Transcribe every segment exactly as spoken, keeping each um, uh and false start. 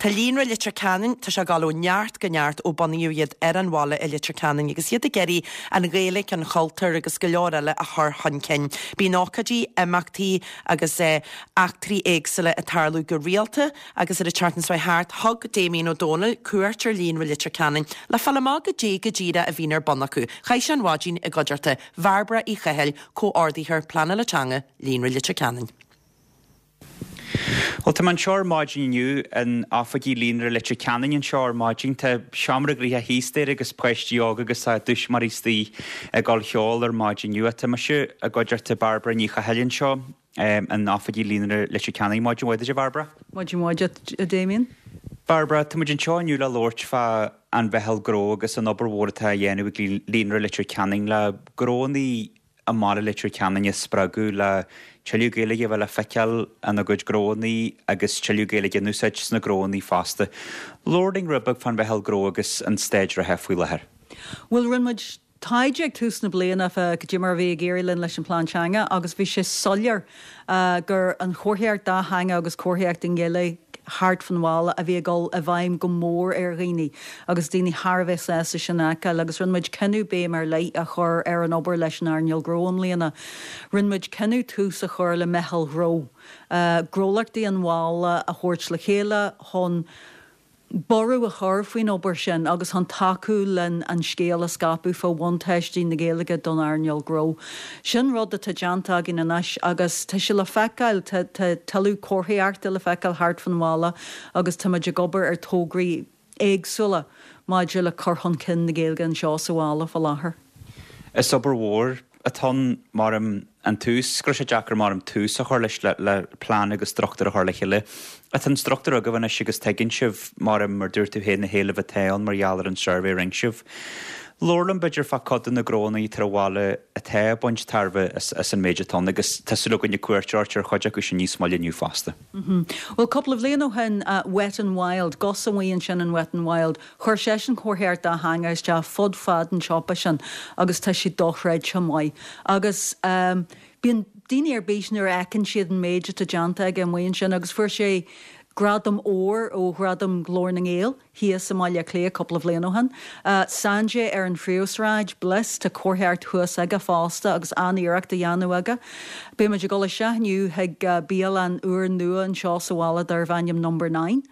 Tá Líonra Leitir Ceanainn tá sé ag dul ó neart go neart ó bunaíodh iad ar an bhaile i Leitir Ceanainn agus iad ag iarraidh an Ghaeilge an cultúr agus go leor eile a chur chun cinn. Bíonn ócáidí imeachtaí agus eh, eachtraí éagsúla ag tarlú go rialta agus ar an tseachtain seo thart thug Damien Ó Dónaill cuairt ar Líonra Leitir Ceanainn le fáil amach goidé go díreach a bhíonn ar bun acu. Chaith sé an mhaidin i gcuideachta Bhairbre Uí Chathail comhordaitheoir pleanála teanga Líonra Leitir Ceanainn. Well tá anseo ar maidin inniu in oifigí Líonra Leitir Ceanainn anseo ar maidin tá seomra gnoitheach thíos staighre agus páistí óga agus a dtuismitheoirí istigh ag dul cheol ar maidin inniu tá mise i gcuideachta Bairbre Ní Chathail anseo um, in oifigí Líonra Leitir Ceanainn maidin mhaith Bhairbre? Maidin mhaith a Damien? Barbara tá muid anseo inniu le labhairt fá an mheitheal gnó agus an obair mhór atá á dhéanamh ag Líonra Leitir Ceanainn le gnónna i mbaile Leitir Ceanainn a spreagadh le tuilleadh Gaeilge a bheith le feiceáil ina gcuid gnónna agus tuilleadh Gaeilge in úsáid sna gnónna fosta. Labhair rud beag fán mheitheal gnó agus an staid reatha faoi láthair. Well rinne muid taighde ag tús na bliana fá goidé mar a bhí ag éirí linn leis an plean teanga agus bhí sé soiléir uh, gur an chomharthaíocht dátheangach agus comharthaíocht i nGaeilge thart fan bhaile a bhí ag dul i bhfeidhm go mór ar dhaoine agus daoine thar a bheith sásta sin a fheiceáil agus rinne muid cinneadh béim ar leith a chur ar an obair leis an earnáil ghnó i mbliana. Rinne muid cinneadh tús a chur le meitheal ghnó. Uh, gnólachtaí an bhaile a thabhairt le chéile chun borradh a chur faoin obair sin agus chun tacú len an scéal a scaipeadh fá bhuntáistí na Gaeilge don earnáil ghnó. Sin rud atá déanta againn anois agus tá sé le feiceáil tuilleadh comharthaíochta le feiceáil thart fan bhaile agus tá ag obair ar tograí éagsúla maidir le cur chun cinn na Gaeilge anseo sa bhaile faoi láthair. Is obair mhór atá mar an tús gur sé deacair mar an tús a chur leis le, le plean agus struchtúr a chur le chéile. Tá an struchtúr agaibh anois agus tuigeann sibh mar mar dúirt tú féin na héilimh atá ann mar gheall ar an suirbhé a rinne sibh. Labhair liom b'fhéidir fá chuid de na gnónna ar an bhaile atá ag baint tairbhe as, as an méid atá agus tá súil againn cuairt ar chuid acu sin níos moille inniu fosta. Mm -hmm. Well cúpla bliain ó shin uh, Wet and Wild, Gus amuigh ansin in Wet and Wild, chuir sé an chomharthaíocht dátheangach isteach fud fad an tsiopa sin agus tá sé dochreidte maith. Agus um, bíonn daoine ar bís nuair a fheiceann siad an méid atá déanta aige amuigh ansin agus fuair sé gradam óir ó Ghradam Ghlór na nGael thíos i mBaile Átha Cliath cúpla bliain ó shin. Uh, Sanjay ar an phríomhshráid Bliss tá comharthaíocht thuas aige fosta agus an-iarracht á dhéanamh aige. Beimid ag dul isteach inniu chuig uh, bialann úr nua anseo sa bhaile darb ainm number nine.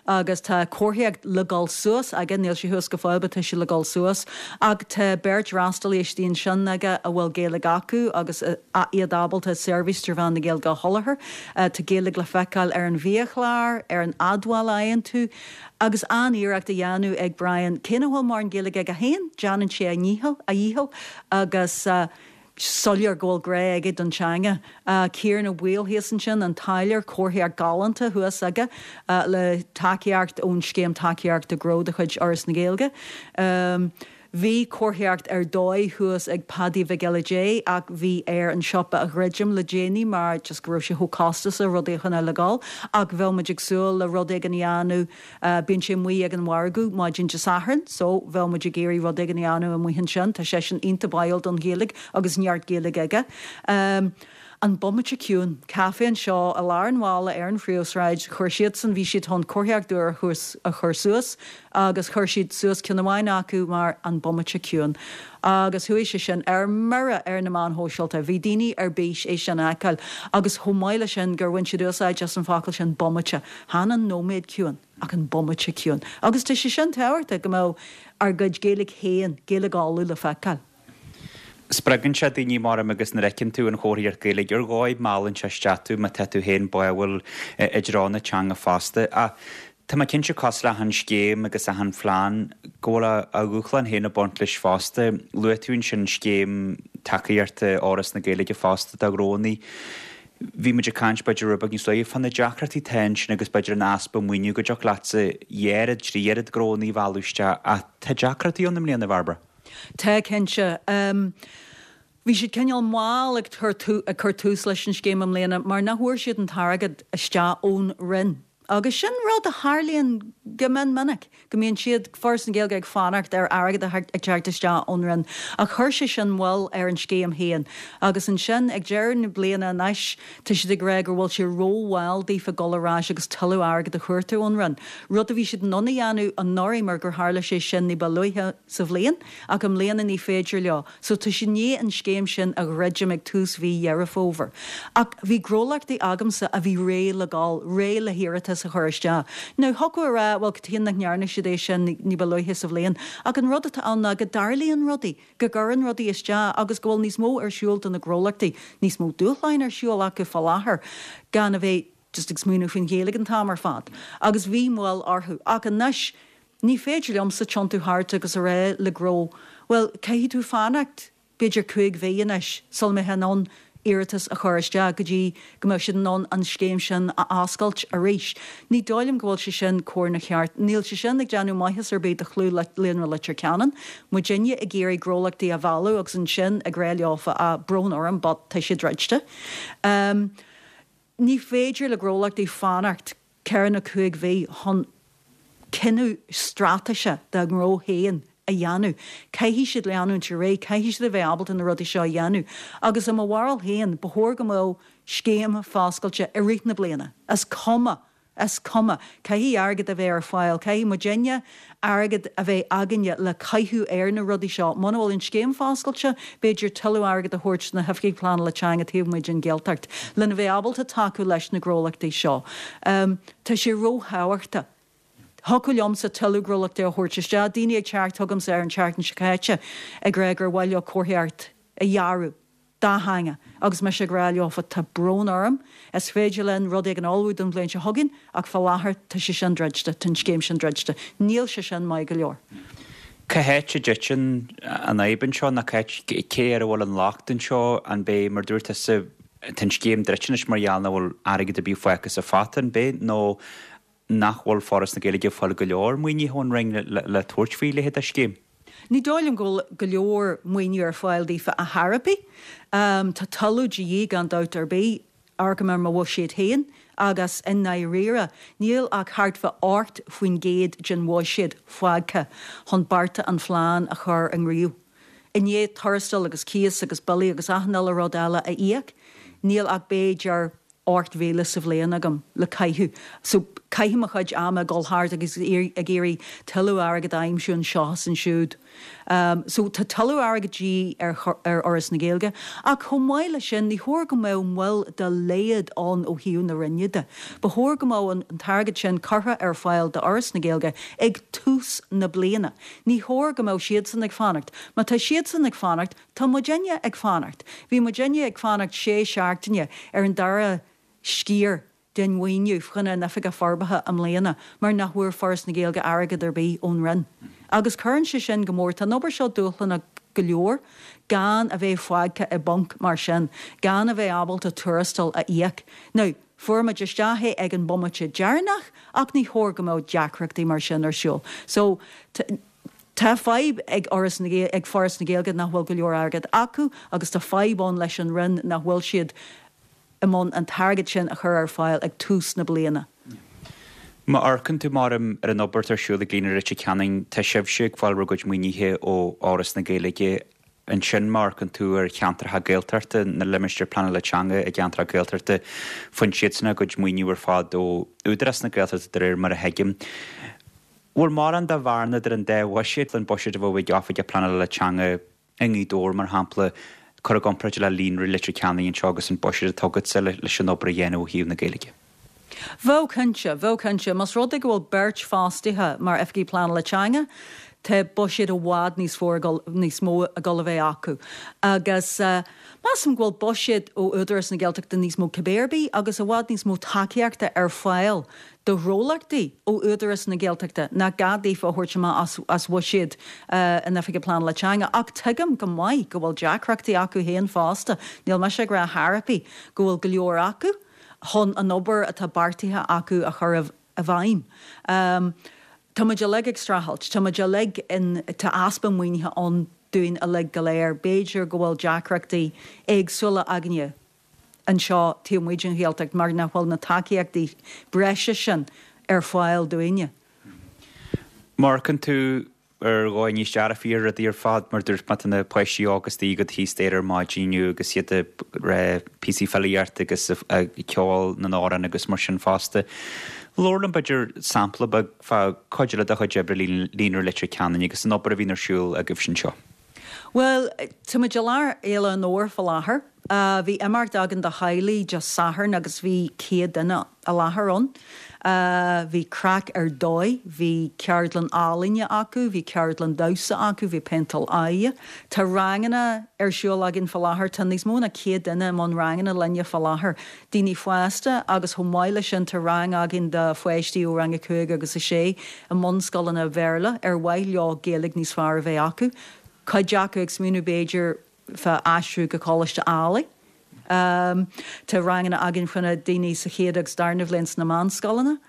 agus tá comharthaíocht le dul suas aige níl sé thuas go fóill tá sé le dul suas ach tá beirt fhreastalaí istigh ansin aige a bhfuil Gaeilge acu agus uh, iad ábalta seirbhís trí mheán na Gaeilge a sholáthar uh, tá Gaeilge le feiceáil ar an bhiachlár ar an admháil a fhaigheann tú agus an-iarracht á dhéanamh ag Brian cé nach bhfuil mórán Gaeilge aige féin déanann sé a dhícheall a dhícheall agus uh, soiléir go bhfuil grá aige don teanga. Uh, Ciaran Ó Baoill thíos ansin an táilliúir comharthaíocht galánta thuas aige uh, le tacaíocht ón scéim tacaíochta gnó de chuid Fhoras na Gaeilge. Um, Bhí comharthaíocht ar dóigh thuas ag Paddy Mhic Giolla Dé ach bhí air an siopa a dhruidim le déanaí mar just go raibh sé chomh costasach rudaí chun le gáil ach bhí muid ag súil le rud éigin a dhéanamh uh, bíonn sé amuigh ag an mhargadh maidin Dé Sathairn, so bhí muid ag iarraidh rud éigin a dhéanamh amuigh ansin, tá sé sin iontach báúil don Ghaeilge agus neart Gaeilge aige. Um, an Bomaite Ciúin, caife anseo i lár an bhaile ar an phríomhshráid, chuir siad san bhí siad chun comharthaíocht úr a chur suas agus chuir siad suas ceann amháin acu mar an Bomaite Ciúin. Agus chuaigh sé sin ar mire ar na meáin shóisialta, bhí daoine ar bís é sin a fheiceáil, agus chomh maith le sin gur bhain siad úsáid as an focal sin bomaite, chan an nóiméad ciúin ach an bomaite ciúin. Agus tá sé sin tábhachtach go mbeadh ár gcuid Gaeilge féin Gaeilge Uladh le feiceáil. Spreagann sé daoine mar agus nuair a fheiceann tú an chomharthaíocht Gaeilge ar dhóigh meallann sé isteach tú má tá tú féin báúil i dtreo na teanga fosta. A Tá mé cinnte cosúil le achan scéim agus achan phlean go bhfuil a dhúshlán féin ag baint leis fosta. Luaigh tú ansin scéim tacaíochta Fhoras na Gaeilge fosta do ghnónna. Bhí muid ag caint b'fhéidir rud beag níos luaithe fá na deacrachtaí atá ansin agus b'fhéidir an easpa maoiniú go dtiocfadh leatsa oiread trí oiread gnónna a mhealladh isteach ach tá deacrachtaí ann i mbliana Bhairbre. Tá cinnte. Um, Bhí siad cineál mall ag ag cur tús leis an scéim i mbliana mar nach bhfuair siad an t-airgead isteach ón Roinn. Agus sin rud a tharlaíonn go mion minic, go mbíonn siad, Foras na Gaeilge, ag fanacht ar airgead a ag teacht isteach ón Roinn. Ach chuir sé sin moill ar an scéim féin. Agus ansin ag deireadh na bliana anois, tá siad ag rá go bhfuil sé rómhall daofa dul ar ais agus tuilleadh airgid a chuartú ón Roinn. Rud a bhí siad in ann a dhéanamh anuraidh mar gur tharla sé sin ní ba luaithe sa bhliain, ach i mbliana ní féidir leo. So tá siad i ndiaidh an scéim sin a dhruidim ag tús mhí Dheireadh Fómhair. Ach bhí gnólachtaí agamsa a bhí réidh le gabháil, réidh le hiarratas a chur isteach. Now thiocfadh a rá, bhuel, cad chuige nach ndearna siad é sin ní ba luaithe sa bhliain? Ach an rud atá ann ná go dtarlaíonn rudaí, go gcuireann rudaí isteach agus go bhfuil níos mó ar siúl do na gnólachtaí, níos mó dúshláin ar siúl acu fá láthair gan a bheith just ag smaoineamh faoin Ghaeilge an t-am ar fad. Agus bhí moill orthu. Ach anois, ní féidir liomsa tiontú thart agus a rá le gnó, bhuel, caithfidh tú fanacht b'fhéidir cúig mhí anois sula mbeifeá in ann iarratas a chur isteach go dtí go mbeadh siad in ann an scéim sin a oscailt arís. Ní dóigh liom go bhfuil sé sin cóir ná ceart. Níl sé sin ag déanamh maitheas ar bith do chlú Líonra Leitir Ceanainn. Muidinne ag iarraidh gnólachtaí a mhealladh agus ansin ag rá leofa ah brón orm but tá sé druidte. Ní féidir le gnólachtaí fanacht ceithre nó cúig mhí chun cinneadh straitéise dá ngnó féin a dhéanamh. Caithfidh siad leanúint ar aghaidh, caithfidh siad a bheith ábalta na rudaí seo a dhéanamh. Agus i mo bharúil féin, ba chóir go mbeadh scéim foscailte i rith na bliana. Is cuma. Is cuma. Caithfidh airgead a bheith ar fáil, caithfidh muidinne airgead a bheith againne le caitheamh ar na rudaí seo. Muna bhfuil an scéim foscailte, b'fhéidir tuilleadh airgead a thabhairt do na hoifigigh pleanála teanga taobh amuigh den Ghaeltacht lena bheith ábalta tacú leis na gnólachtaí seo. Tá sé róthábhachtach. Thiocfadh liomsa tuilleadh gnólachtaí a thabhairt isteach, daoine ag teacht chugamsa ar an tseachtain seo caite ag rá gur mhaith leo comharthaíocht a dhearadh dátheangach agus mise ag rá leofa tá brón orm, is féidir linn rud éigin a ullmhú don bhliain seo chugainn ach fá láthair tá sé sin druidte, tá an scéim sin druidte. Níl sé sin maith go leor. Cá háit a dtiteann an fhadhb anseo nó cá háit, cé air a bhfuil an locht anseo? An b'é, mar dúirt tusa, tá an scéim druidte anois mar gheall nach bhfuil airgead ar bith fágtha sa phota, an b'é nó nach bhfuil Foras na Gaeilge ag fáil go leor maoinithe ón Roinn le tabhairt faoi leithéid de scéim? Ní dóigh liom go bhfuil go leor maoiniú ar fáil daofa ar chor ar bith. Tá tuilleadh de dhíth gan dabht ar bith, amharcaim ar mo bhuiséad féin agus i ndáiríre níl ach thart fá ocht faoin gcéad den bhuiséad fágtha chun bearta an phlean a chur i ngníomh. I ndiaidh tuarastail agus cíos agus billí agus achan uile rud eile a íoc, níl ach b'fhéidir ocht mhíle sa bhliain agam le caitheamh. So, caithim mo chuid ama ag dul thart agus ag iarraidh tuilleadh airgid a aimsiú anseo is ansiúd. So, tá tuilleadh airgid de dhíth ar ar Fhoras na Gaeilge. Ach chomh maith leis sin, ní chóir go mbeadh moill dá laghad ann ó thaobh na Roinne de. Ba chóir go mbeadh an t-airgead sin curtha ar fáil d'Fhoras na Gaeilge ag tús na bliana. Ní chóir go mbeadh siadsan ag fanacht. Má tá siadsan ag fanacht, Tá muidinne ag fanacht. Bhí muidinne ag fanacht sé seachtaine ar an dara sciar den mhaoiniú chun an Oifigeach Forbartha i mbliana mar nach bhfuair Foras na Gaeilge airgead ar bith ón Roinn. Agus cuireann sé sin go mór. Tá an obair seo dúshlánach go leor gan a bheith fágtha i bponc mar sin, gan a bheith ábalta tuarastal a íoc. Now, fuair muid isteach é ag an bomaite deireanach ach ní chóir go mbeadh deacrachtaí mar sin ar siúl. So, Tá fadhb ag Fhoras na ag Foras na Gaeilge nach bhfuil go leor airgead acu agus tá fadhb ann leis an Roinn nach bhfuil siad i mbun an t-airgead sin a chur ar fáil ag tús na bliana. Má amharcann tú, mar, ar an obair atá ar siúl ag Líonra Leitir Ceanainn, tá sibhse ag fáil bhur gcuid maoinithe ó Fhoras na Gaeilge. Ansin, má amharcann tú ar cheantracha Gaeltachta, na limistéir pleanála teanga i gceantracha Gaeltachta, faigheann siadsan a gcuid maoiniú ar fad ó Údarás na Gaeltachta de réir mar a thuigim. Bhfuil mórán de bhearna idir an dá bhuiséad, an buiséad a bheadh ag Oifigeach Pleanála Teanga i nGaoth Dobhair, mar shampla, cur i gcomparáid le Líonra Leitir Ceanainn anseo agus an buiséad atá agatsa leis an obair a dhéanamh ó thaobh na Gaeilge? Bheadh cinnte, bheadh cinnte. Más rud é go bhfuil beirt fostaithe mar Oifigigh Pleanála Teanga, tá buiséad i bhfad níos mó níos mó ag dul a bheith acu. Agus measaim go bhfuil buiséad ó Údarás na Gaeltachta níos mó cibé ar bith agus i bhfad níos mó tacaíochta ar fáil do ghnólachtaí ó Údarás na Gaeltachta nach gá daofa a thabhairt amach as as bhuiséad an Oifigigh Pleanála Teanga. Ach tuigim go maith go bhfuil deacrachtaí acu féin fosta. Níl mise ag rá chor ar bith go bhfuil go leor acu chun an obair atá beartaithe acu a chur i bhfeidhm. Tá muid uilig ag streachailt. Tá muid uilig in, tá easpa maoinithe ann dúinn uilig go léir. B'fhéidir go bhfuil deacrachtaí éagsúla againne anseo taobh amuigh den Ghaeltacht mar nach bhfuil na tacaíochtaí breise sin ar fáil dúinne. Amharcann tú ar dhóigh níos dearfaí ar rudaí ar fad mar dúirt mé tá na páistí óga istigh agat thíos staighre ar maidin inniu agus iad ag rá píosaí filíochta agus ag ceol na n-amhrán agus mar sin fosta. Labhair liom b'fhéidir sampla beag fá cuid eile de chuid oibre Líonra Leitir Ceanainn agus an obair a bhíonn ar siúl agaibh anseo. Bhuel, tá muid i lár Fhéile an Fhómhair fá láthair. Bhí imeacht againn do theaghlaigh Dé Sathairn agus bhí céad duine i láthair ann. Bhí craic ar dóigh, bhí ceardlann ealaíne acu, bhí ceardlann damhsa acu, bhí péinteáil aghaidhe. Tá ranganna ar siúl againn fá láthair, tá níos mó ná céad duine i mbun ranganna linne fá láthair, daoine fásta agus chomh maith leis sin tá rang againn do pháistí ó rang a cúig agus a sé i mbunscoileanna Bhéarla ar mhaith leo Gaeilge níos fearr a bheith acu. Cuid acu ag smaoineamh b'fhéidir fá aistriú go Coláiste Ailigh. Tá ranganna againn fá choinne daoine sa chéad agus darna bhliain sna meánscoileanna.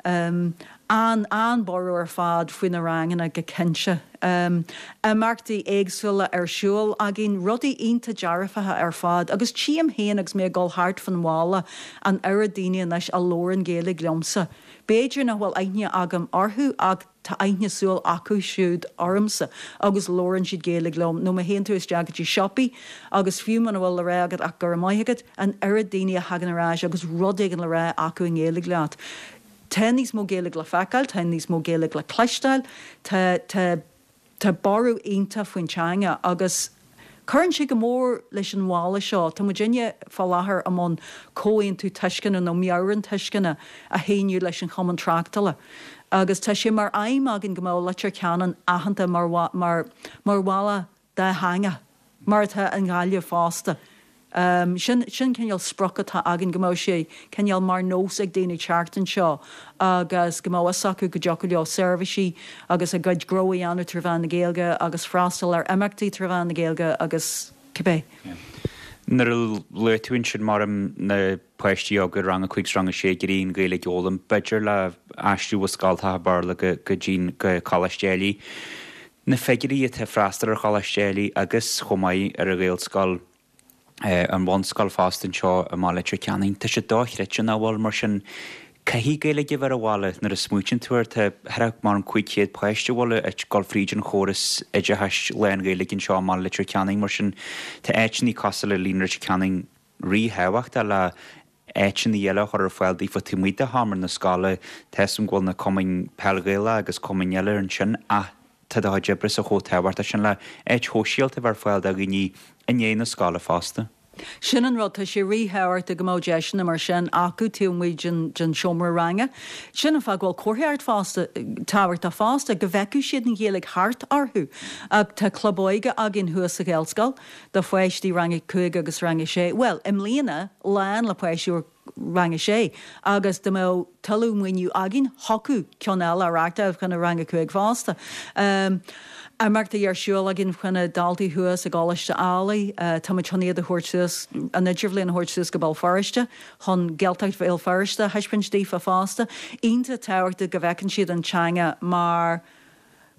An, an-borradh ar fad faoi na ranganna go cinnte. Imeachtaí éagsúla ar siúl againn, rudaí iontach dearfacha ar fad agus tchím féin agus mé ag dul thart fan bhaile an oiread daoine anois a labhrann Gaeilge liomsa. B'fhéidir nach bhfuil aithne agam orthu ach tá aithne súl acu siúd ormsa agus labhrann siad Gaeilge liom, nó má théann tú isteach go dtí siopaí agus fiú muna bhfuil le rá agat ach go raibh maith agat, an oiread daoine a thagann ar ais agus rud éigin le rá acu i nGaeilge leat. Tá níos mó Gaeilge le feiceáil, tá níos mó Gaeilge le cloisteáil, tá, tá, tá borradh iontach faoin teanga agus cuireann sé go mór leis an bhaile seo. Tá muidinne fá láthair i mbun comhaontú tuisceana nó meabhrán tuisceana a shíniú leis an Chumann Tráchtála agus tá sé mar aidhm againn go mbeadh Leitir Ceanainn aitheanta mar, mar, mar bhaile dátheangach, mar atá an Ghaillimh fosta. Sin, sin cineál sprioc atá againn, go mbeadh sé cineál mar nós ag daoine teacht anseo agus go mbeadh fhios acu go dtiocfadh leo seirbhísí agus a gcuid gnó a dhéanamh trí mheán na Gaeilge agus freastal ar imeachtaí trí mheán na Gaeilge agus cibé. Nuair a luaigh tú ansin mar na páistí óga rang a cúig 's rang a sé ag iarraidh an Ghaeilge a fhoghlaim, b'fhéidir le aistriú ó scoltacha Béarla go go dtí go Coláiste Ailigh. Na figiúirí atá ag freastal ar Choláiste Ailigh agus chomh maith ar an Ghaelscoil, an bhunscoil fosta anseo i mBaile Leitir Ceanainn. Tá sé dochreidte nach bhfuil, mar sin caithfidh Gaeilge a bheith ar an bhaile nuair a smaoitíonn tú air. Tá thart mar an cúig chéad páiste a bhfuil ag dul fríd an chóras oideachais lán-Ghaeilge anseo i mBaile Leitir Ceanainn, mar sin tá áiteanna cosúil le Líonra Leitir Ceanainn ríthábhachtach le áiteanna eile a chur ar fáil daofa taobh amuigh de sheomra na scoile. Tá 'fhios a'm go bhfuil na cumainn peil Ghaelach agus cumainn eile ansin ach tá do chuid oibre-sa chomh tábhachtach sin le áit shóisialta a bheith ar fáil do dhaoine i ndiaidh na scoile fosta. Sin an rud, tá sé ríthábhachtach go mbeadh deiseanna mar sin acu taobh amuigh den den seomra ranga. Sin an fáth go bhfuil comharthaíocht fosta tábhachtach fosta, go bhfeicfeadh siad an Ghaeilge thart orthu. Ach tá club óige againn thuas sa Ghaelscoil do pháistí rang a cúig agus rang a sé. Bhuel, i mbliana, lán le páistí ó rang a sé agus dá mbeadh tuilleadh maoiniú againn, thiocfadh ceann eile a reachtáil chun rang a cúig fosta. Imeachtaí ar siúl againn chun daltaí thuas i gColáiste Ailigh. Táimid chun iad a thabhairt suas, an idirbhliain a thabhairt suas go Béal Feirste chun Gaeltacht Bhéal Feirste a thaispeáint daofa fosta. Iontach tábhachtach go bhfeiceann siad an teanga mar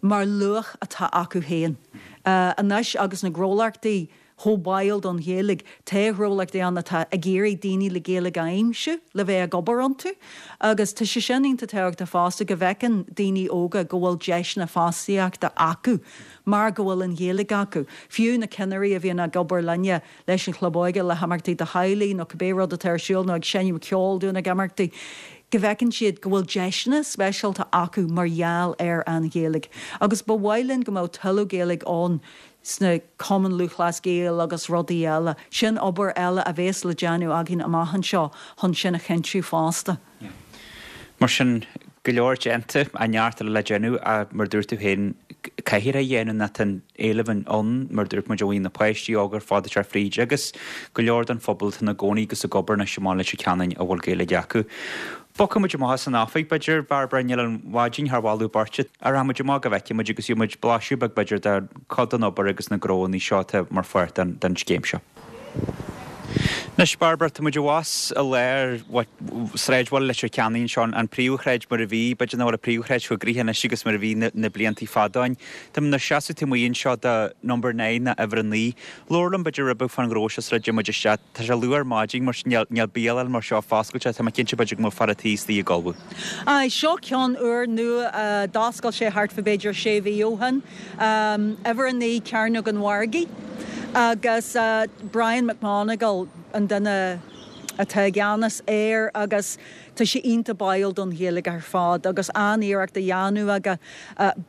mar luach atá acu féin. Anois agus na gnólachtaí chomh báúil don Ghaeilge. Tá gnólachtaí ann atá ag iarraidh daoine le Gaeilge a aimsiú le bheith ag obair iontu agus tá sé sin iontach tábhachtach fosta go bhfeiceann daoine óga go bhfuil deiseanna fostaíochta acu mar go bhfuil an Ghaeilge acu. Fiú na cinnirí a bhíonn ag obair linne leis an Chlub Óige, le himeachtaí do theaghlaigh nó cibé rud atá ar siúl nó ag seinm ceoil dúinn ag imeachtaí, go bhfeiceann siad go bhfuil deiseanna speisialta acu mar gheall ar an Ghaeilge. Agus ba mhaith linn go mbeadh tuilleadh Gaeilge ann sna Cumainn Lúthchleas Gael agus rudaí eile. Sin obair eile a bhéas le déanamh againn amach anseo chun sin a chinntiú fosta. Mar sin, go leor déanta, ach neart eile le déanamh ach mar dúirt tú féin, caithfear é a dhéanamh nó tá an éileamh ann, mar dúirt muid, ó na páistí óga ar fad atá fríd agus go leor den phobal atá ina gcónaí agus ag obair anois i mBaile Leitir Ceanainn a bhfuil Gaeilge acu. Bogfaidh muid amach as an oifig, b'fhéidir, Bairbre, níl an mhaidin thar mholadh beirte. Ach rachaidh muid amach go bhfeicfidh muid agus gheobhaidh muid blaiseadh beag, b'fhéidir, de chuid den obair agus na gnóanna seo atá mar pháirt den scéim seo. Anois Bairbre, tá muid abhus i lár sráidbhaile Leitir Ceanainn anseo, an príomhshráid mar a bhí, b'fhéidir nach bhfuil an príomhshráid chomh gnoitheach anois agus mar a bhí na blianta fada ó shin. Tá muid inár seasamh taobh amuigh anseo de Number Nine nó uimhir a naoi. Labhair liom b'fhéidir rud beag fán ghnó seo sula dtéann muid isteach. Tá sé luath ar maidin mar sin níl níl bialann mar seo foscailte, tá mé cinnte b'fhéidir go mbeadh fear an tí istigh ag ullmhú. Aye, seo ceann úr nua, d'oscail sé thart fá b'fhéidir sé mhí ó shin. Uimhir a naoi Cearnóg an Mhargaidh. Agus Brian McMonagle an duine atá i gceannas air agus tá sé iontach báúil don Ghaeilge ar fad agus an-iarracht á dhéanamh aige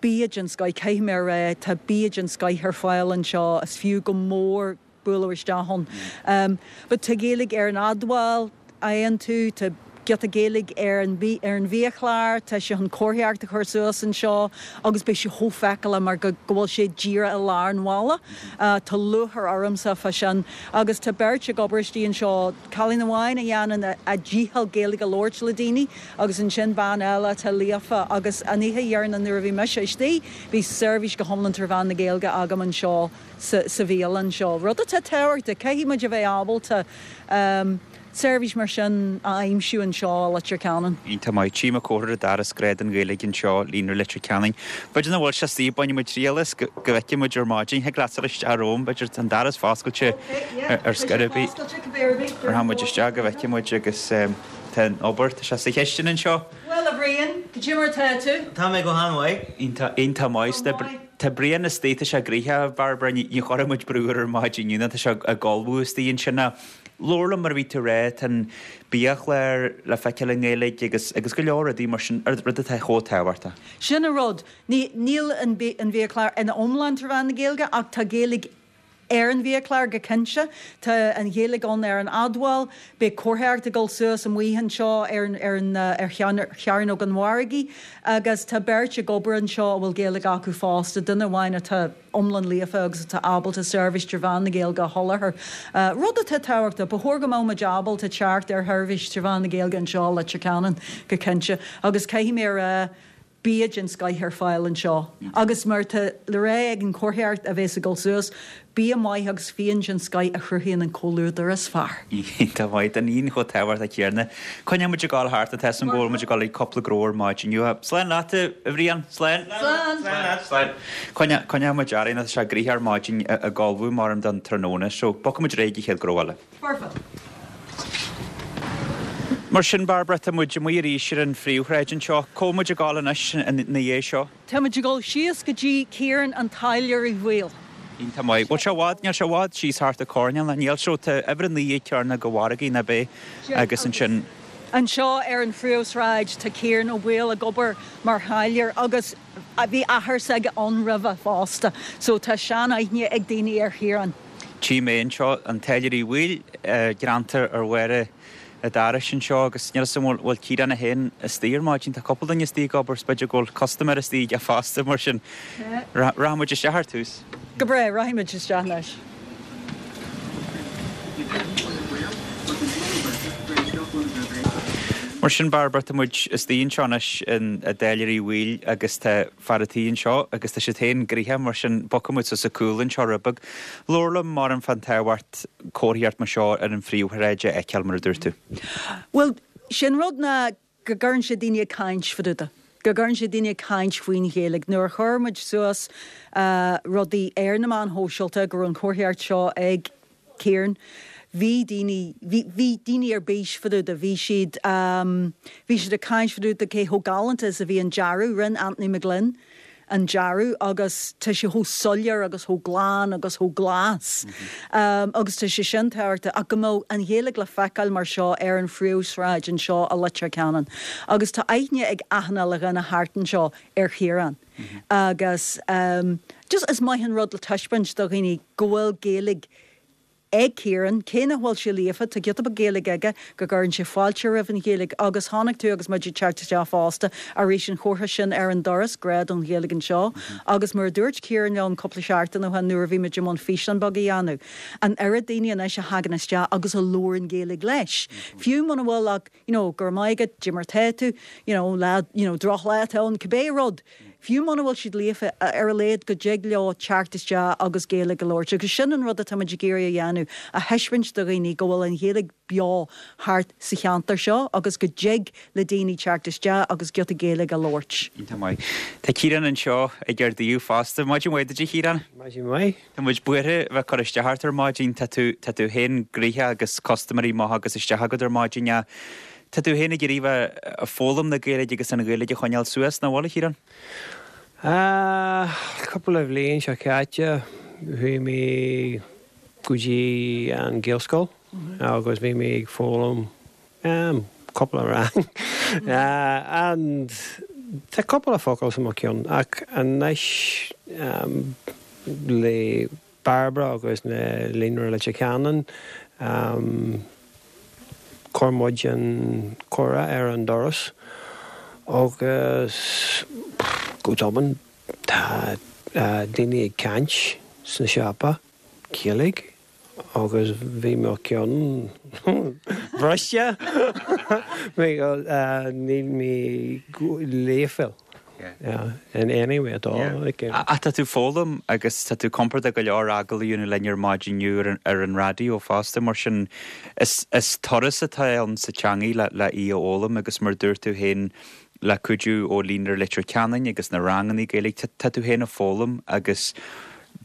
bia den scoith, caithfidh mé a rá, tá bia den scoith ar fáil anseo, is fiú go mór bualadh isteach ann. But tá Gaeilge ar an admháil, fhaigheann tú, tá giota Gaeilge ar an ar an bhiachlár, tá sé chun comharthaíocht a chur suas anseo agus beidh sé chomh feiceálach mar go go bhfuil sé díreach i lár an bhaile. Tá lúcháir ormsa fá sin agus tá beirt ag obair istigh anseo, cailín amháin a dhéanann a dícheall Gaeilge a labhairt le daoine agus ansin bean eile atá líofa agus an oíche dheireanach nuair a bhí mise istigh bhí seirbhís go hiomlán trí mheán na Gaeilge agam anseo sa sa bhialann seo. Rud atá tábhachtach, caithfidh muid a bheith ábalta seirbhís mar sin a aimsiú anseo i Leitir Ceanainn. Iontach maith. Tchím an comhartha ar an doras Grá don Ghaeilge anseo, Líonra Leitir Ceanainn. B'fhéidir nach bhfuil sé istigh, bainfidh muid triail as go bhfeicfidh muid ar maidin. Thig leat dul isteach romham, b'fhéidir tá an doras foscailte ar scor ar bith. Rachaidh muid isteach go bhfeicfidh muid agus tá an obair, tá sé sa chistin anseo. Bhuel a Bhriain, cad é mar atá tú? Tá mé go han-mhaith. Iontach, iontach maith. Tá Brian istigh, tá sé gnoitheach, a Bhairbre, ní chuirfidh muid brú air ar maidin inniu, tá sé ag ullmhú istigh ansin. Labhair liom mar a bhí tú a rá, tá an biachlár le feiceáil i nGaeilge agus agus go leor rudaí mar sin, rud atá chomh tábhachtach. Sin an rud. Ní, níl an an bhiachlár ina iomlán trí mheán na Gaeilge ach tá Gaeilge ar an bhiachlár go cinnte. Tá an Ghaeilge ann ar an admháil. Beidh comharthaíocht ag dul suas amuigh anseo ar an ar an ar Chearnóg an Mhargaidh agus tá beirt ag obair anseo a bhfuil Gaeilge acu fosta, duine amháin atá iomlán líofa agus atá ábalta seirbhís trí mheán na Gaeilge a sholáthar. Rud atá tábhachtach, ba chóir go mbeadh muid ábalta teacht ar sheirbhís trí mheán na Gaeilge anseo i Leitir Ceanainn go cinnte agus caithfidh mé a rá, bia den scoith ar fáil anseo agus mar atá le rá ag an chomharthaíocht a bheas ag dul suas, bia maith agus fíon den scoith a chruthaíonn an comhluadar is fearr. Iontach maith, an fhíon chomh tábhachtach céanna. Coinneoidh muid ag gabháil thart, tá a fhios agam go bhfuil muid ag gabháil ag cúpla gnó ar maidin inniu. Slán leat, a Bhriain. Slán. Slán. Slán. Coinneoidh muid orainn, tá sé gnoitheach ar maidin ag ullmhú mar don tráthnóna, so bogfaidh muid ar aghaidh ag an chéad ghnó eile. Foirfe. Mar sin, Bairbre, tá muid amuigh arís ar an phríomhshráid anseo. Cá bhfuil muid ag gabháil anois ina dhiaidh seo? Tá muid ag dul síos go dtí Ciarán an Táilliúir Uí Bhaoill. Iontach maith. Bhfuil sé i bhfad? Níl sé i bhfad síos thart an coirnéal, ná níl? So tá uimhir a naoi ag Cearnóg an Mhargaidh, ná b'é? Agus ansin. Anseo ar an phríomhshráid tá Ciarán Ó Baoill ag obair mar tháilliúir agus bhí athair s'aige ann roimhe fosta. So tá sean-aithne ag daoine ar Chiarán. Tchím é anseo, an Táilliúir Uí Bhaoill, greanta ar bharra an dorais anseo agus níl 'fhios a'm an bhfuil Ciarán é féin istigh ar maidin. Tá cúpla duine istigh ag obair 's b'fhéidir go bhfuil custaiméir istigh aige fosta mar sin rachaidh muid isteach ar tús. Go breá, rachaidh muid isteach anois. Mar sin Bairbre, tá muid istigh anseo anois in i dTáilliúir Uí Bhaoill agus tá fear a' tí anseo agus tá siad féin gnoitheach mar sin bogfaidh muid suas an cúl anseo rud beag. Labhair liom mar an fán tábhacht comharthaíocht mar seo ar an phríomhshráid a fheiceáil mar a dúirt tú. Bhuel, sin rud ná go gcuireann sé daoine ag caint fá dtaobh de, go gcuireann sé daoine ag caint faoin Ghaeilge. Nuair a chuir muid suas rudaí ar na meáin shóisialta go raibh an chomharthaíocht seo ag Ciarán, bhí daoine, bhí, bhí daoine ar bís fá dtaobh de, bhí siad, bhí siad ag caint fá dtaobh de cé chomh galánta is a bhí an dearadh, rinne Anthony McGlynn an dearadh agus tá sé chomh soiléir agus chomh glan agus chomh glas agus tá sé sin tábhachtach ach go mbeadh an Ghaeilge le feiceáil mar seo ar an phríomhshráid anseo i Leitir Ceanainn agus tá aithne ag achan uile dhuine thart anseo ar Chiarán agus just is maith an rud le taispeáint do dhaoine go bhfuil Gaeilge ag Ciarán, cé nach bhfuil sé líofa, tá giota beag Gaeilge aige, go gcuireann sé fáilte roimh an Ghaeilge agus chonaic tú agus muid ag teacht isteach fosta arís an chomhartha sin ar an doras, grá don Ghaeilge anseo agus mar a dúirt Ciarán liom cúpla seachtain ó shin nuair a bhí muid i mbun físeán beag a dhéanamh, an oiread daoine anois a thagann isteach agus a labhrann Gaeilge leis, fiú muna bhfuil ach you know, go raibh maith agat, cad é mar atá tú, you know, lá, you know, drochlá atá ann, cibé rud. Fiú muna bhfuil siad líofa, ar a laghad go dtig leo teacht isteach agus Gaeilge a labhairt. Agus sin an rud atá muid ag iarraidh a dhéanamh. dhéanamh a thaispeáint do dhaoine go bhfuil an Ghaeilge beo thart sa cheantar seo agus go dtig le daoine teacht isteach agus giota Gaeilge a labhairt. Iontach maith. Tá Ciarán anseo ag ar díú fosta. Maidin mhaith duit a Chiaráin? Maidin mhaith. Tá muid buartha bheith cur isteach ort ar maidin tá tú tá tú féin gnoitheach agus custaiméirí maithe agus isteach agat ar maidin. Tá tú féin ag iarraidh bheith ag foghlaim na Gaeilge agus an Ghaeilge a choinneáil suas nach bhfuil a Chiaráin? Uh, cúpla bhliain seo caite bhí mé go dtí an Gaelscoil agus bhí mé ag foghlaim um, cúpla rang. uh, and tá cúpla focal sa mo cheann ach anois um, le Barbara agus na Líonra Leitir Ceanainn um, chuir muid an comhartha ar an doras agus go tobann tá uh, daoine ag caint sna siopa Gaeilge agus bhí mo cheann briste níl mé líofa in any way at all. Like, A tá tú foghlaim agus tá tú compordach go leor agallamh a dhéanamh linn ar maidin ar ar an raidió fosta mar sin is, is turas atá ann sa teanga le le í a fhoghlaim agus mar dúirt tú féin le cuidiú ó Líonra Leitir Ceanainn agus na ranganna Gaeilge tá tú féin ag foghlaim agus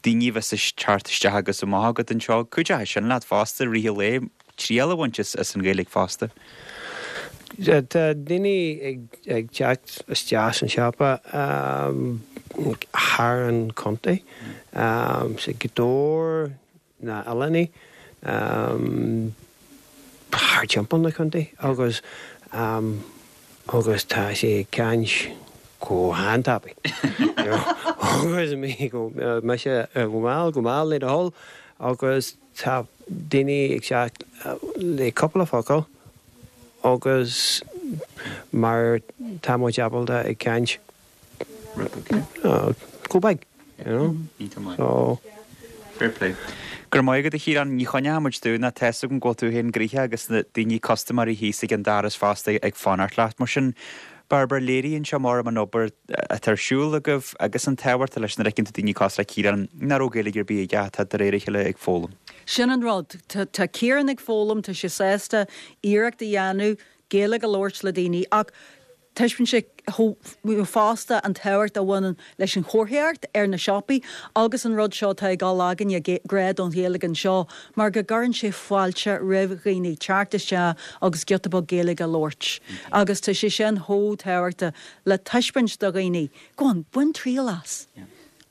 daoine bheith ag teacht isteach agus amach agat anseo cuideoidh sin leat fosta i rith an lae triail a bhaint as as an Ghaeilge fosta. Tá daoine ag ag teacht isteach san siopa um, thar an contae um, sa Gaoth Dobhair na Oileáin um, thar timpeall na contae agus um, agus tá sé ag caint go han-tapaidh. agus mé go me sé go mall go mall le do thoil agus tá daoine ag teacht le cúpla focal agus mar tá muid ábalta ag caint go beag you know? So Fair play. Gur maith agat a Chiaráin ní choinneoidh muid tú ná tá an go tú féin gnoitheach agus na daoine custaiméirí thíos ag an doras fosta ag fanacht leat mar sin Barbara léiríonn seo mar an obair atá ar siúl agaibh agus an tábhacht leis na reiceanta daoine cosúil le Ciarán nach raibh Gaeilge ar bith aige atá de réir a chéile ag foghlaim. Sin an rud Tá Ciarán ag foghlaim tá sé sásta iarracht a dhéanamh Gaeilge a labhairt le daoine ach taispeánann sé fosta an tábhacht a bhaineann leis an chomharthaíocht ar na siopaí agus an rud seo tá ag dul againne grá don Ghaeilge anseo mar go gcuireann sé fáilte roimh dhaoine teacht isteach agus giota beag Gaeilge a labhairt. Agus tá sé sin chomh tábhachtach le taispeáint do dhaoine, go on bain triail as.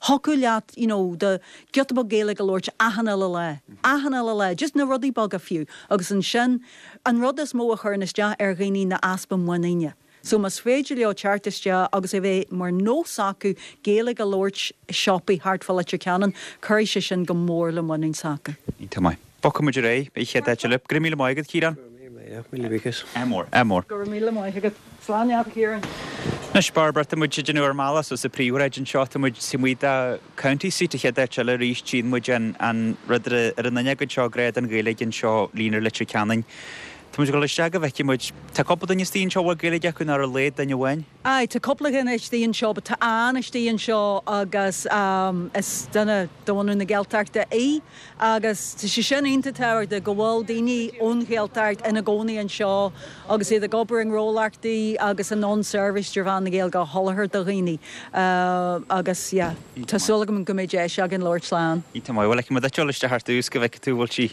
Thiocfadh leat you know, de giota beag Gaeilge a labhairt achan uile lá. Achan uile lá, just na rudaí beaga fiú, agus ansin an rud is mó a chuireann isteach ar dhaoine ná easpa muiníne. So más féidir leo teacht isteach agus é bheith mar nós acu Gaeilge a labhairt siopaí thart fá Leitir Ceanainn, cuirfidh sé sin go mór le muinín s'acu. Tá maith. Bogfaidh muid ar aghaidh chéad áit eile. Go raibh míle maith agat Ciarán. Míle buíochas. Ádh mór ádh mór. Go raibh míle maith agat slán leat Ciarán. Anois Barbara tá muid ag déanamh ár mbealach suas an phríomhshráid anseo tá muid muid a County Seat a chéad áit eile arís tchíonn muid an an rud ar an fhuinneog anseo grá don Ghaeilge anseo Líonra Leitir Ceanainn. Tá muid ag dul isteach go bhfeicfidh muid Tá cúpla duine istigh anseo bhfuil Gaeilge acu ar a laghad duine amháin. Aye, tá cúpla duine istigh anseo, but tá Ann istigh anseo agus um, is duine de bhunadh na Gaeltachta í agus tá sé sin iontach tábhachtach go bhfuil daoine ón Ghaeltacht ina gcónaí anseo agus iad ag obair i ngnólachtaí agus in ann seirbhís trí mheán na Gaeilge a sholáthar do dhaoine uh, agus yeah, Tá súil agam go mbeidh deis againn labhairt le Ann. Tá maith bhfuil mu dul isteach ar dtús go bhfeicfidh tú bhfuil sí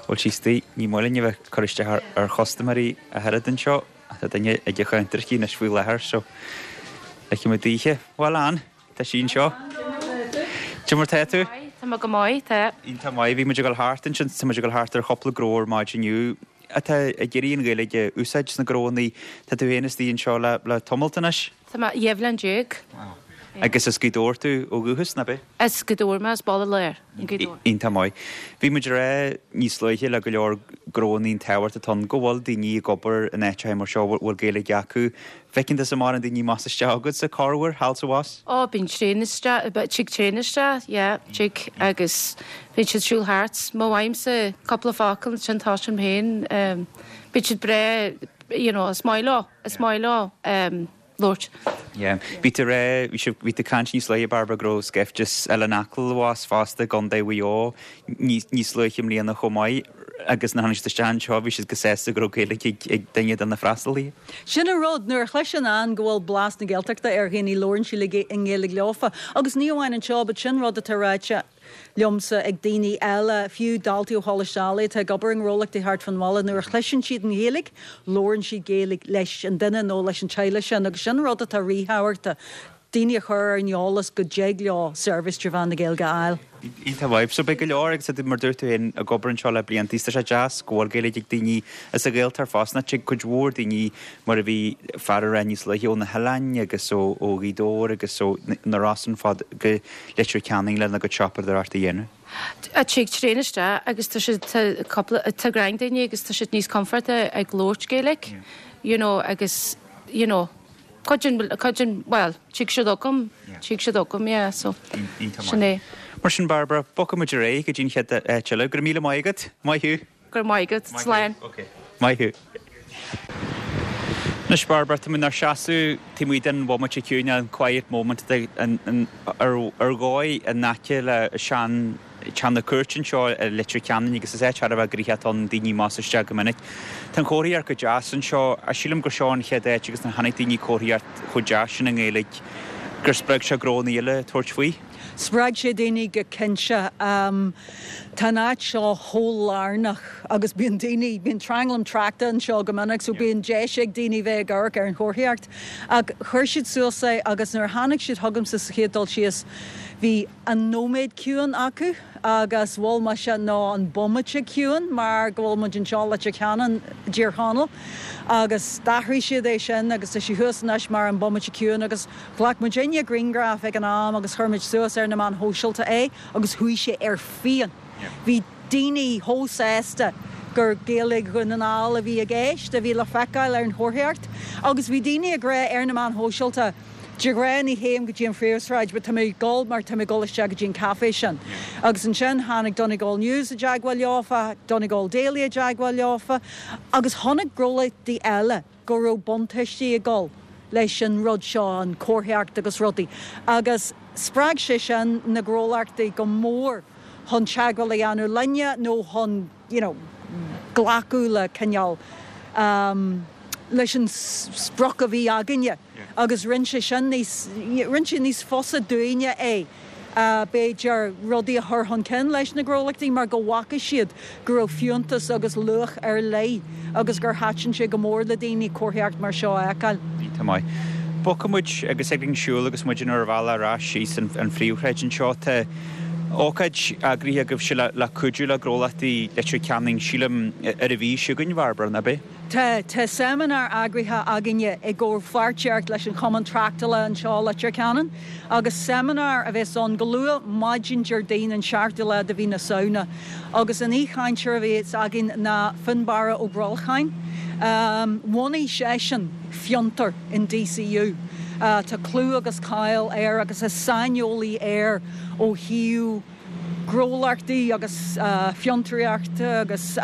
bhfuil sí istigh ní maith linn a bheith cur isteach ar ar chustaiméirí a oiread anseo tá duine ag an chuntar anois faoi láthair so feicfidh muid daoithe Bhuel Ann tá sí anseo. Cad é mar tá tú? Tá mé go maith tá Tá maith bhí muid ag dul thart ansin tá muid ag dul thart ar chúpla gnó ar maidin inniu atá ag iarraidh an Ghaeilge a úsáid sna gnónna Tá tú féin istigh anseo le le tamalt anois? Tá mé dhá bhliain déag. Agus as Gaoth Dobhair tú ó dhúchas nach ea? As Gaoth Dobhair mé as Baile Láir Iontach maith. Bhí muid rá níos luaithe le go leor gnónna an tábhacht atá go bhfuil daoine ag obair in áiteacha mar seo bhfuil Gaeilge acu. Feiceann tusa mórán daoine amach isteach agat sa corruair thall sa bhas? Ó bíonn tréan isteach tig tréan isteach tig agus bíonn siad siúl thart má fhaighimse cúpla focal sin tá sin féin bíonn siad breá you know, is maith leo is maith leo um, labhairt. Yeah. Bhí tú rá, bhí sibh, bhí tú ag caint níos luaithe Barbara go raibh scaifte as Oileán Acaill abhus fosta i gContae Mhaigh Eo níos, níos luaithe i mbliana chomh maith agus nuair a tháinig siad isteach anseo bhí siad go sásta go raibh Gaeilge ag, ag duine de na freastalaithe. Sin an rud, nuair a chloiseann Ann go bhfuil blas na Gaeltachta ar dhaoine labhrann sí le i nGaeilge leofa. Agus ní amháin anseo, but sin rud atá ráite liomsa ag daoine eile, fiú daltaí ó Choláiste Ailigh atá ag obair i ngnólachtaí thart fán bhaile, nuair a chloiseann siad an Ghaeilge, labhrann siad Gaeilge leis an duine nó leis an teaghlach sin, agus sin rud atá ríthábhachtach, daoine a chur ar an eolas go dtig leo seirbhís trí mheán na Gaeilge a fháil. Iontach maith. So beidh go leor agus mar dúirt tú féin ag obair anseo le blianta is tá sé deas go bhfuil Gaeilge ag daoine as an Ghaeltacht fosta. Tig cuid mhór daoine mar a bhí fear ag rá níos luaithe ó na hoileáin agus ó ó Ghaoth Dobhair agus ó na Rosann fad go Leitir Ceanainn lena gcuid siopadóireacht a dhéanamh. Tig tréan isteach agus tá siad tá cúpla tá greim daoine agus tá siad níos comfortaí ag labhairt Gaeilge, you know, agus you know, cuid den cuid den well, tig siad chugam, tig siad chugam, yeah, so sin é. Mar sin Barbara, bogfaidh muid ar aghaidh go dtí an chéad áit eile. Go raibh míle maith agat. Maith thú. Go raibh maith agat. Slán. Maith thú. Anois Barbara, tá muid inár seasamh taobh amuigh den bhomaite ciúin, an quiet moment ar ar dhóigh in aice le sean teach na cúirte anseo i Leitir Ceanainn agus is áit thar a bheith gnoitheach atá ann, daoine amach is isteach go minic. Tá an chomharthaíocht go deas anseo. Sílim gur seo an chéad áit agus nuair a chonaic daoine comharthaíocht chomh deas sin i nGaeilge gur spreag sé gnónna eile tabhairt faoi. Spreag sé daoine go cinnte. Tá an áit seo chomh lárnach agus bíonn daoine, bíonn tranglam tráchta anseo go minic so bíonn deis ag daoine bheith ag amharc ar an chomharthaíocht. Ach chuir siad suas é agus nuair a tháinig siad chugamsa sa chéad dul síos bhí an nóiméad ciúin acu agus mhol mise ná an bomaite ciúin mar go bhfuil muid anseo i Leitir Ceanainn, i dTír Chonaill agus d'athraigh siad é sin agus tá sé thuas anois mar an bomaite ciúin agus ghlac muidinne grianghraf ag an am agus chuir muid suas ar na meáin shóisialta é agus chuaigh sé ar fian. Bhí daoine chomh sásta gur Gaeilge Dhún na nGall a bhí i gceist, a bhí le feiceáil ar an chomharthaíocht agus bhí daoine ag rá ar na meáin shóisialta, De ghnáth ní théim go dtí an phríomhshráid but tá mé ag dul mar tá mé ag dul isteach go dtí an café sin. Agus ansin tháinig Donegal News i dteagmháil leofa, Donegal Daily i dteagmháil leofa agus chonaic gnólachtaí eile go raibh buntáistí ag dul leis an rud seo, an chomharthaíocht agus rudaí. Agus spreag sé sin na gnólachtaí go mór chun teagmháil a dhéanamh linne nó chun, you know, glacadh le cineál um, leis an sprioc a bhí againne agus rinne sé sin níos, rinne sé níos fusa dúinne é. B'fhéidir rudaí a chur chun cinn leis na gnólachtaí mar go bhfaca siad go raibh fiúntas agus luach ar leith agus gur thaitin sé go mór le daoine comharthaíocht mar seo a fheiceáil. Tá maith. Bogfaidh muid agus ag an siúl agus muid inár bhealach ar ais síos an phríomhshráid anseo. Tá ócáid eagraithe agaibhse le cuidiú le gnólachtaí Leitir Ceanainn, sílim, ar an mhí seo chugainn, Barbara, nach ea? Tá, tá seimineár eagraithe againne i gcomhpháirtíocht leis an Chumann Tráchtála anseo i Leitir Ceanainn agus seimineár a bheas ann go luath maidin Déardaoin an seachtú lá de mhí na Samhna agus an aoichainteoir a bheas againn ná Fionnbarra Ó Brolcháin. Bhunaigh seisean Fiontar in DCU. Tá clú agus cáil air agus is saineolaí air ó thaobh gnólachtaí agus fiontraíochta agus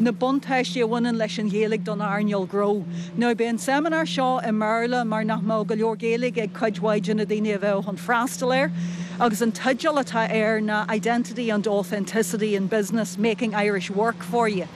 na buntáistí a bhaineann leis an Ghaeilge don earnáil ghnó. Now beidh an seimineár seo i mBéarla mar nach mbeadh go leor Gaeilge ag cuid mhaith de na daoine a bheadh chun freastal air agus an teideal atá air ná Identity and Authenticity in Business, Making Irish Work for You.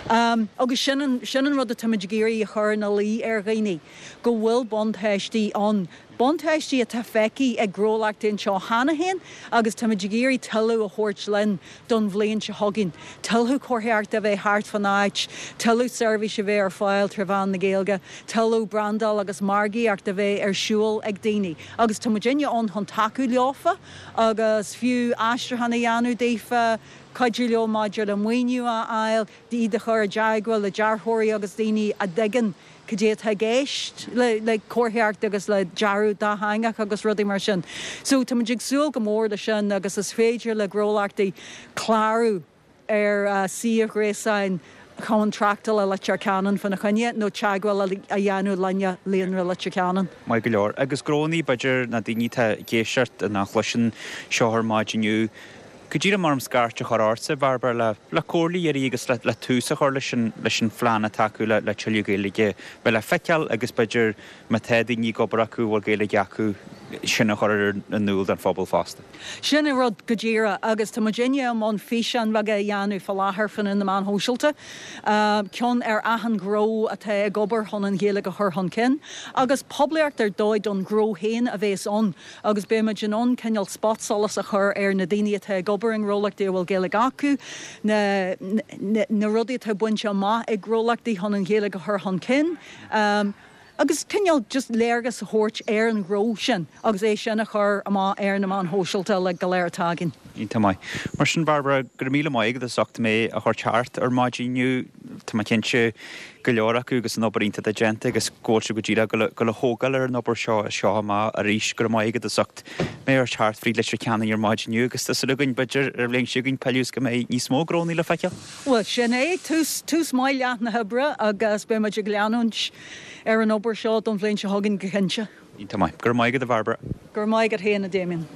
Um, agus sin an, sin an rud atáimid ag iarraidh a chur ina luí ar dhaoine, go bhfuil buntáistí ann. Buntáistí atá feicthe ag gnólachtaí anseo cheana féin agus táimid ag iarraidh tuilleadh a thabhairt linn don bhliain seo chugainn. Tuilleadh comharthaíochta a bheith thart fan áit, tuilleadh seirbhís a bheith ar fáil trí mheán na Gaeilge, tuilleadh brandáil agus margaíocht a bheith ar siúl ag daoine. Agus tá muidinne ann chun tacú leofa agus fiú aistriúchán a dhéanamh daofa, cuidiú leo maidir le maoiniú a fháil, iad a chur i dteagmháil le dearthóirí agus daoine a dtuigeann cad é atá i gceist le le comharthaíocht agus le dearadh dátheangach agus rudaí mar sin. So tá muid ag súil go mór le sin agus is féidir le gnólachtaí clárú ar suíomh gréasáin Chumann Tráchtála Leitir Ceanainn fána choinne nó teagmháil a dhéanamh linne Líonra Leitir Ceanainn. Maith go leor. Agus gnónnaí b'fhéidir na daoine atá ag éisteacht nach chloiseann seo ar maidin inniu, Go díreach mar scairt a chur ortsa Bhairbre le le comhairle a iarraidh agus le le tús a chur leis an leis an phlean atá acu le le tuilleadh Gaeilge bheith le feiceáil agus b'fhéidir má tá daoine ag obair acu bhfuil Gaeilge acu sin a chur in iúl don phobal fosta. Sin an rud go díreach agus tá muidinne i mbun físeáin bheaga a dhéanamh fá láthair fan na meáin shóisialta. Ceann ar achan ghnó atá ag obair chun an Ghaeilge a chur chun cinn, agus poiblíocht ar dóigh don ghnó féin a bhéas ann agus beimid in ann cineál spotsolas a chur ar na daoine atá ag obair i ngnólachtaí a bhfuil Gaeilge acu, na, na, na rudaí atá bainte amach ag gnólachtaí chun an Ghaeilge a chur chun cinn. Um, agus cineál just léargas a thabhairt ar an ghnó sin agus é sin a chur amach ar na meáin shóisialta le go léir atá againn. Iontach maith. Mar sin Barbara go raibh míle maith agat as ucht mé a chur thart ar maidin inniu Tá mé cinnte go leor acu agus an obair iontach atá déanta agus go bhfuil sé go díreach go le thógáil ar an obair seo seo amach arís go raibh maith agat as ucht mé a chur thart fríd Leitir Ceanainn ar maidin inniu agus tá súil againn b'fhéidir ar bhliain seo chugainn peiliús go mbeidh níos mó gnónna le feiceáil. Well sin é tús tús maith leath na hoibre agus beidh muid ag leanúint ar an obair seo don bhliain seo chugainn go cinnte. Iontach maith. Go raibh maith agat a Bharbara. Go raibh maith agat féin a Damien.